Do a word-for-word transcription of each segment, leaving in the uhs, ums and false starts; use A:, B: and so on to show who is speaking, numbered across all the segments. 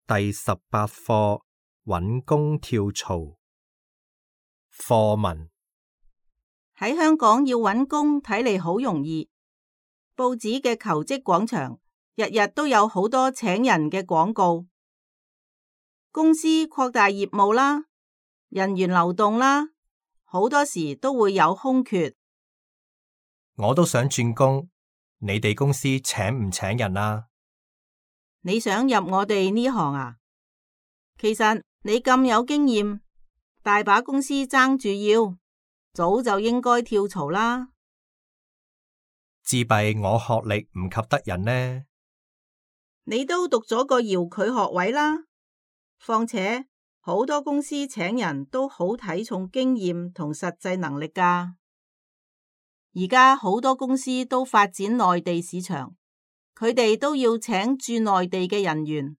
A: 第十八課搵工跳槽。課文：
B: 喺香港要搵工睇嚟好容易，報紙嘅求職廣場日日都有好多請人嘅廣告，公司擴大業務啦，人員流動啦，好多時都會有空缺。
A: 我都想轉工，你哋公司請唔請人啊？
B: 你想入我哋呢行啊？其實你咁有經驗，大把公司爭住要，早就應該跳槽啦。
A: 自閉我學歷唔及得人呢？
B: 你都讀咗個遙距學位啦，況且好多公司請人都好睇重經驗同實際能力㗎。而家好多公司都發展內地市場，佢哋都要請駐內地嘅人員。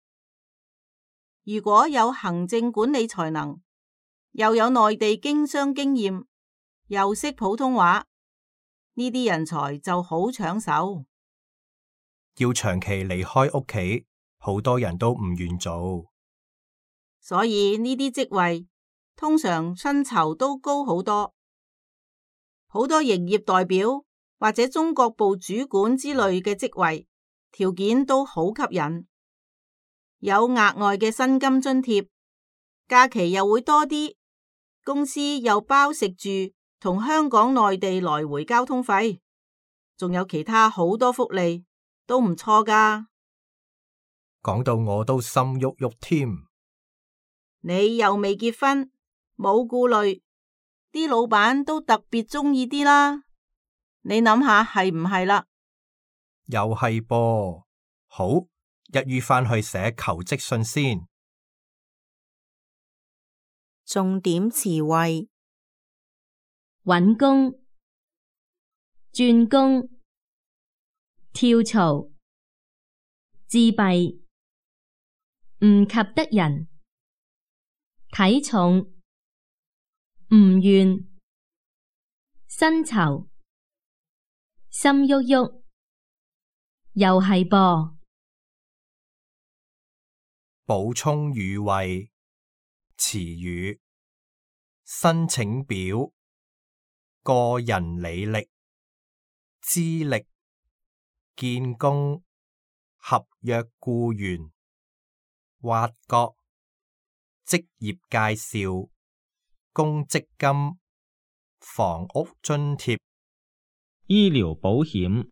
B: 如果有行政管理才能，又有內地經商經驗，又識普通話，呢啲人才就好搶手。
A: 要長期離開屋企，好多人都唔願做，
B: 所以呢啲職位通常薪酬都高好多。好多營業代表或者中國部主管之類嘅職位，條件都好吸引，有額外嘅薪金津貼，假期又會多啲，公司又包食住同香港內地來回交通費，仲有其他好多福利，都唔錯㗎。
A: 講到我都心郁郁添。
B: 你又未結婚，冇顧慮，啲老闆都特別鍾意啲啦。你諗下係唔係啦？
A: 又係噃，好，一於返去寫求職信先。
C: 重點詞彙：
D: 搵工、轉工、跳槽、自閉、唔及得人、體重、唔願、薪酬、心郁郁，又係噃。
A: 補充語彙：詞語、申請表、個人履歷、資歷、見工、合約僱員、挖角、職業介紹、公積金、房屋津貼、
E: 醫療保險。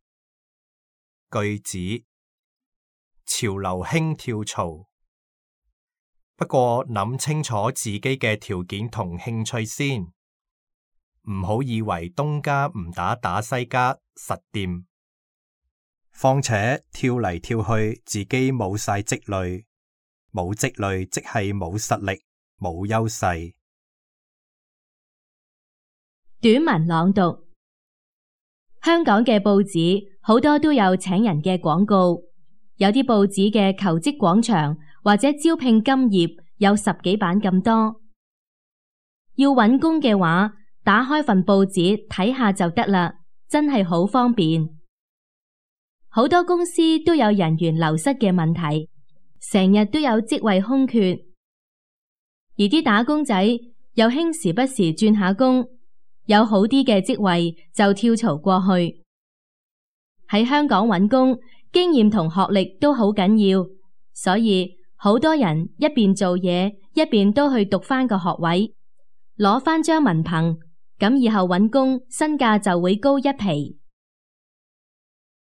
A: 句子：潮流興跳槽，不過諗清楚自己嘅條件同興趣先，唔好以為東家唔打打西家實掂。況且跳嚟跳去，自己冇晒積累，冇積累即係冇實力、冇優勢。
D: 短文朗讀：香港嘅報紙好多都有請人嘅廣告，有啲報紙嘅求職廣場或者招聘金頁有十幾版咁多。要搵工嘅話，打開份報紙睇下就得啦，真係好方便。好多公司都有人員流失嘅問題，成日都有職位空缺，而啲打工仔又興時不時轉下工，有好啲嘅職位就跳槽過去。喺香港搵工，經驗同學歷都好緊要，所以好多人一邊做嘢，一邊都去讀返個學位，攞返張文憑，咁以後搵工身價就會高一皮。